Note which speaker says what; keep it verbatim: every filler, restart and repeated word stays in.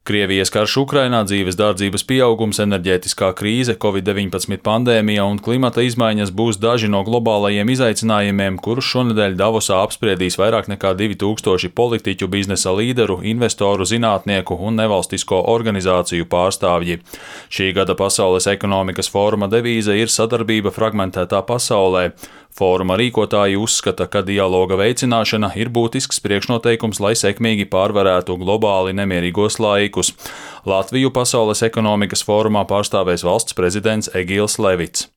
Speaker 1: Krievijas karš Ukrainā, dzīves dārdzības pieaugums, enerģētiskā krīze, covid deviņpadsmit pandēmija un klimata izmaiņas būs daži no globālajiem izaicinājumiem, kurus šonedēļ Davosā apspriedīs vairāk nekā divi tūkstoši politiķu, biznesa līderu, investoru, zinātnieku un nevalstisko organizāciju pārstāvji. Šī gada Pasaules ekonomikas fóruma devīze ir sadarbība fragmentētā pasaulē. Fóruma rīkotāji uzskata, ka dialoga veicināšana ir būtisks priekšnoteikums, lai sekmīgi pārvarētu globāli nemierīgos laikus. Latviju Pasaules ekonomikas fórumā pārstāvēs valsts prezidents Egils Levits.